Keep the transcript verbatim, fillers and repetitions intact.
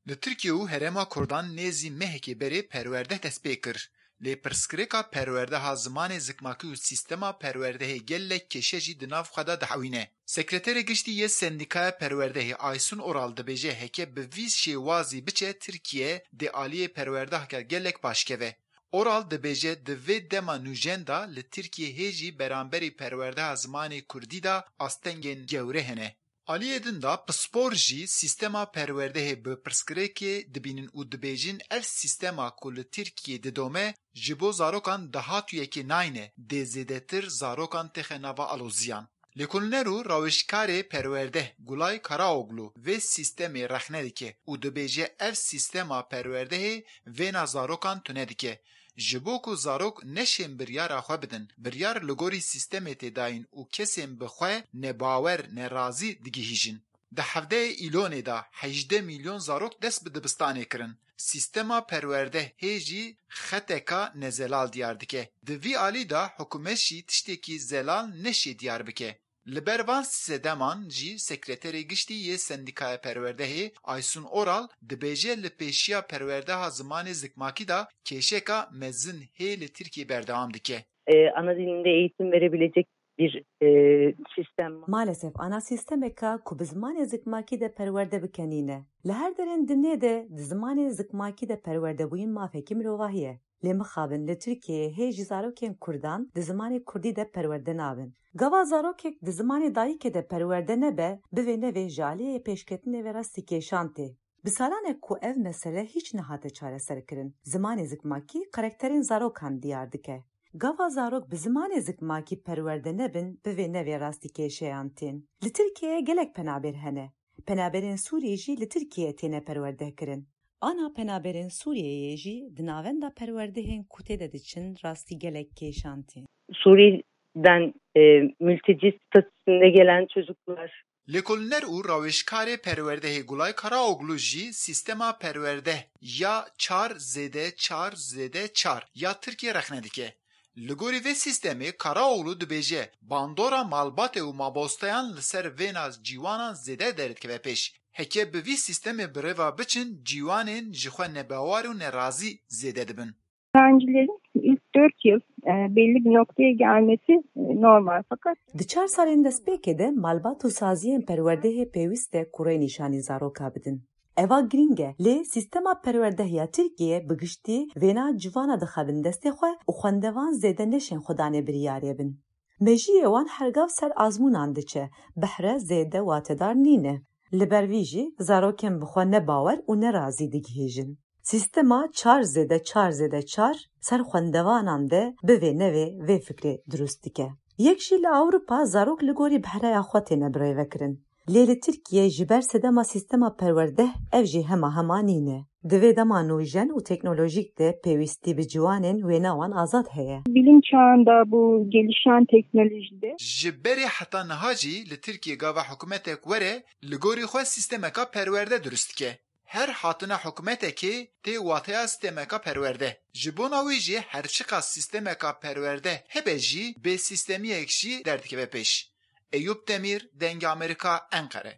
Li Tirkiye û Herêma Kurdan nêzî mehekê berê perwerdeh dest pê kir. Lê pirsgirêka perwerdeha zimanê zikmakî û sîstema perwerdehê gelek kêşe jî di nav xwe de dihewîne. Sekreterê Giştî yê Sendîkaya Perwerdehê Aysun Oral dibêje heke bi vî şêwazî biçe Tirkiye dê aliyê perwerdeheke gelek baş keve. Oral dibêje di vê dema nûjen de li Tirkiye hê jî beramberî perwerdeha zimanê kurdî de astengên gewre hene. Aliyê din de pispor jî sîstema perwerdehê bi pirsgirêkê dibînin û dibêjin ev sîstema ku li Tirkiyê didome ji bo zarokan dahatûyekê nayne, dê zêdetir zarokan têxe nava aloziyan. Lêkolîner û rawêjkarê perwerdeh Gulay Karaoglu vê sîstemê rexne dike û dibêje ev sîstema perwerdehê vêna zarokan tune dike. Ji bo ku zarok neşên biryara xwe bidin, biryar li gorî sîstemê tê dayîn û kesên bi xwe nebawer, nerazî digihîjin. Di hevdehê Îlonê de hejdeh milyon zarok dest bi dibistanê kirin. Sîstema perwerdehê jî xeteka nezelal diyar dike. Di vî alî de hikûmet jî tiştekî zelal neşê diyar bike. Li ber van sedeman jî Sekreterê Giştî yê Sendîkaya Perwerdehê Aysun Oral dibêje li pêşiya perwerdeha zimanê zikmakî de kêşeka mezin hê li Tirkiyê berdewam dike. E, ana dilinde eğitim verebilecek bir e, sistem. Maalesef ana sîstemeka ku bi zimanê zikmakî de perwerde bike nîne. Li her derên dinyê de di zimanê zikmakî de perwerdebûyîn mafekî mirovahî ye. Lê mixabin li Tirkiyeyê hê jî zarokên kurdan di zimanê kurdî de perwerde nabin. Gava zarokek di zimanê dayikê de perwerde nebe, bivê nevê ji aliyê pêşketinê ve rastî kêşan tê. Bi salan e ku ev mesele hîç nehate çareserkirin. Zimanê zikmakî karakterên zarokan diyar dike. Gava zarok bi zimanê zikmakî perwerde nebin, bivê nevê rastî kêşeyan tên. Li Tirkiyeyê gelek penaber hene. Penaberên Sûrî jî li Tirkiyeyê têne perwerdekirin. Ana penaberên Sûriyeyê jî di navenda perwerdehên ku tê de diçin rastî gelek kêşan tên. Suriye'den e, mülteci statüsünde gelen çocuklar. Lêkolîner û rawêjkarê perwerdehê Gulay Karaoglu jî sîstema perwerdeh ya çar zêde çar zêde çar ya Tirkiye rexne dike. Li gorî vê sîstemê Karaoglu dibêje bandora malbatê û mamosteyan li ser vêna ciwanan zêde derdikeve pêş. Heke bi vî sîstemê bi rêva biçin, ciwanên ji xwe nebawer û nerazî zêde dibin. Öğrencilerin ilk dört yıl e, belli bir noktaya gelmesi e, normal, fakat Di çar salên destpêkê de malbat û saziyên perwerdehê pêwîst e ku rênîşanî zaroka bidin. Eva girîng e, lê sîstema perwerdeh ya Tirkiye bi giştî vêna civana dixebin destê xwe û xwendevan zêde neşên xwedanê biryarê bin. Mejiyê wan hergav ser azmûnan diçe, behre zêde watedar nîne. Li ber vî jî zarokên bi xwe ne bawer û ne razî digihîjin. Sîstema çar zêde çar zêde çar ser xwendevanan de bivê nevê vê fikrê dirust dike. Yek jî li Ewropa zarok li gorî behreya xwe têne birêvekirin. Lê li Tirkiye ji ber sedema sîstema perwerdeh ev jî hema hema nîne. Di vê dema nûjen û teknolojîk de pêwîstî bi ciwanên wêna wan azad heye. Bilim çağında bu gelişen teknolojide Ji berê heta niha jî li Tirkiye gava hikûmetek were, li gorî xwe sîstemeka perwerde dirust dike. Her hatina hikûmetekê tê wateya sîstemeka perwerde. Ji bona wî jî her çiqas sîstemeka perwerde hebe jî bê sîstemiyek jî derdikeve pêş. Eyûp Demîr, Dengê Amerîka, Enqere.